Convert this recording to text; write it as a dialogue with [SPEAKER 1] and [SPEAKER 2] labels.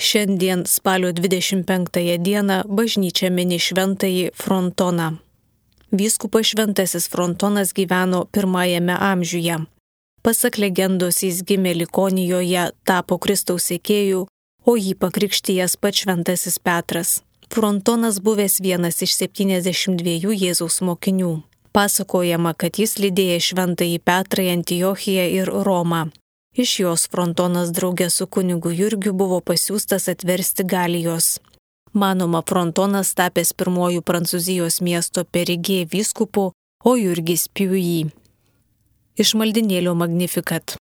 [SPEAKER 1] Šiandien spalio 25 dieną bažnyčia mini šventąjį Frontoną. Vyskupas Šventasis Frontonas gyveno 1 amžiuje. Pasak legendos jis gimė Likonijoje, tapo Kristaus sekėju, o jį pakrikštijęs pats Šventasis Petras. Frontonas buvęs vienas iš 72 Jėzaus mokinių. Pasakojama, kad jis lydėjo Šventąjį Petrą į Antiochiją ir Romą. Iš jos Frontonas draugė su kunigu Jurgiu buvo pasiųstas atversti Galijos. Manoma, Frontonas tapęs pirmuoju Prancūzijos miesto Perigė vyskupu, o Jurgis Piuji. Iš maldinėlio Magnificat.